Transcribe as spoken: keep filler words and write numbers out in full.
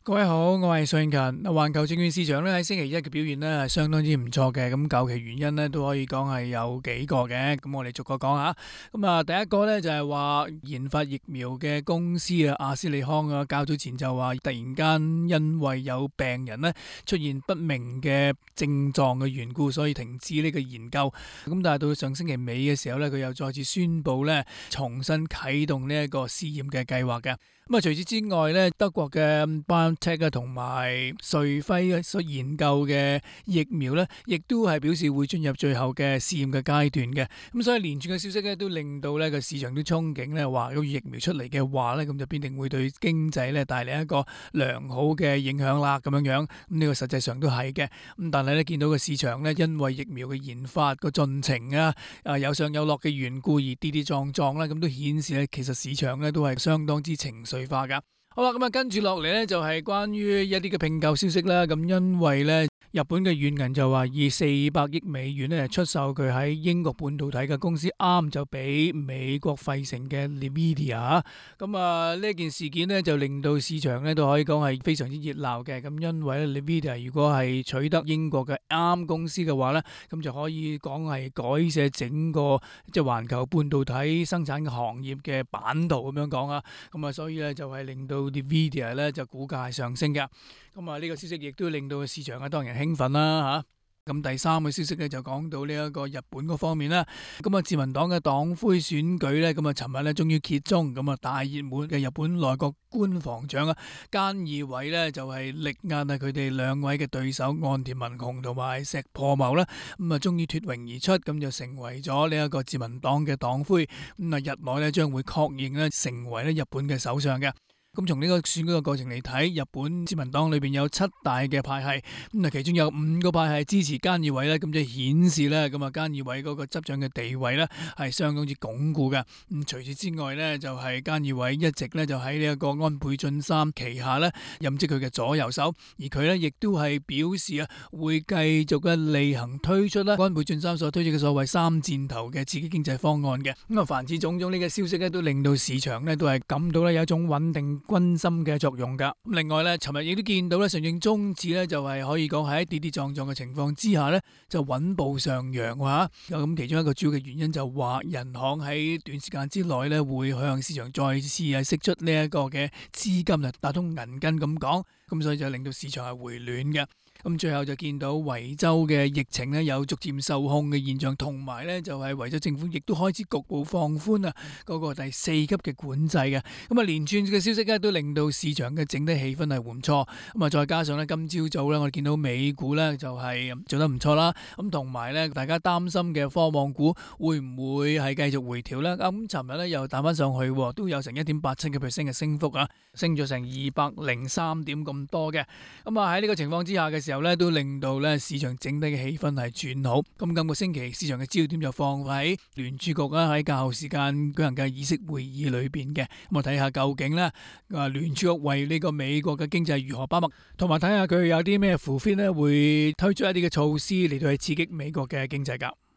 各位好，我係宋慶勤。環球證券市場咧喺星期一嘅表現咧係相當之唔錯嘅，咁究其原因咧都可以講係有幾個嘅，咁我哋逐個講下。咁啊，第一個咧就係話研發疫苗嘅公司啊，阿斯利康啊，較早前就話突然間因為有病人咧出現不明嘅症狀嘅緣故，所以停止呢個研究。咁但係到上星期尾嘅時候咧，佢又再次宣布咧重新啟動呢一個試驗嘅計劃嘅。咁啊，除此之外咧，德國嘅 BioNTech 啊，同埋瑞輝所研究嘅疫苗咧，亦都係表示會進入最後嘅試驗嘅階段嘅。咁所以連串嘅消息咧，都令到呢個市場都憧憬咧，話個疫苗出嚟嘅話咧，咁就必定會對經濟咧帶嚟一個良好嘅影響啦。咁樣樣，咁呢個實際上都係嘅。咁但係咧，見到個市場咧，因為疫苗嘅研發個進程啊，啊有上有落嘅緣故而跌跌撞撞啦，咁都顯示咧，其實市場咧都係相當之情緒化噶。好啦，咁啊跟住落嚟咧就係關於一啲嘅併購消息啦。咁因為咧日本嘅軟銀就話以四百億美元咧出售佢喺英國半導體嘅公司 A R M 就俾美國費城嘅 Nvidia。咁啊呢件事件咧就令到市場咧都可以講係非常之熱鬧嘅。咁因為咧 Nvidia 如果係取得英國嘅 A R M 公司嘅話咧，咁就可以講係改寫整個即係環球半導體生產嘅行業嘅版圖咁樣講啊。咁啊所以咧就係令到Nvidia 咧就股價係上升嘅。咁啊呢個消息亦都令到個市場啊當然興奮啦嚇。咁第三個消息咧就講到呢一個日本嗰方面啦。咁啊自民黨嘅黨魁選舉咧，咁啊尋日咧終於揭盅。咁啊大熱門嘅日本內閣官房長啊菅義偉咧就係力壓啊佢哋兩位嘅對手岸田文雄同埋石破茂啦。咁啊終於脫穎而出，咁就成為咗呢一個自民黨嘅黨魁。咁啊日內咧將會確認咧成為咧日本嘅首相嘅。咁從呢個選舉嘅過程嚟睇，日本自民黨裏邊有七大嘅派系，咁啊其中有五個派系支持菅義偉咧，咁就顯示咧，咁啊菅義偉嗰個執掌嘅地位咧係相當之鞏固嘅。咁除此之外咧，就係菅義偉一直咧就喺呢一個安倍晉三旗下咧任職佢嘅左右手，而佢咧亦都係表示啊會繼續嘅厲行推出啦安倍晉三所推出嘅所謂三箭頭嘅刺激經濟方案嘅。咁啊凡此種種呢個消息咧，都令到市場咧都係感到咧有一種穩定軍心嘅作用噶。另外咧，尋日亦都見到咧，上證綜指咧就係可以講喺跌跌撞撞嘅情況之下咧，就穩步上揚吓。咁其中一個主要嘅原因就話，人行喺短時間之內咧會向市場再次係釋出呢一個嘅資金啊，打通銀根咁講，咁所以就令到市場係回暖嘅。咁最後就見到維州嘅疫情咧有逐漸受控嘅現象，同埋咧就係維州政府亦都開始局部放寬啊嗰個第四級嘅管制嘅。咁啊連串嘅消息咧都令到市場嘅整體氣氛係唔錯。咁啊再加上咧今朝早咧我哋見到美股咧就係做得唔錯啦。咁同埋咧大家擔心嘅科網股會唔會係繼續回調咧？咁尋日咧又彈翻上去，都有成一點八七嘅 percent 嘅升幅啊，升咗成二百零三點咁多嘅。咁啊喺呢個情況之下嘅時候咧，都令到咧市場整體嘅氣氛係轉好。咁今個星期市場嘅焦點就放喺聯儲局啦，喺較後時間舉行嘅議息會議裏邊嘅。咁我睇下究竟咧啊聯儲局為呢個美國嘅經濟如何把脈，同埋睇下佢有啲咩 fulfill 咧會推出一啲嘅措施嚟到去刺激美國嘅經濟噶。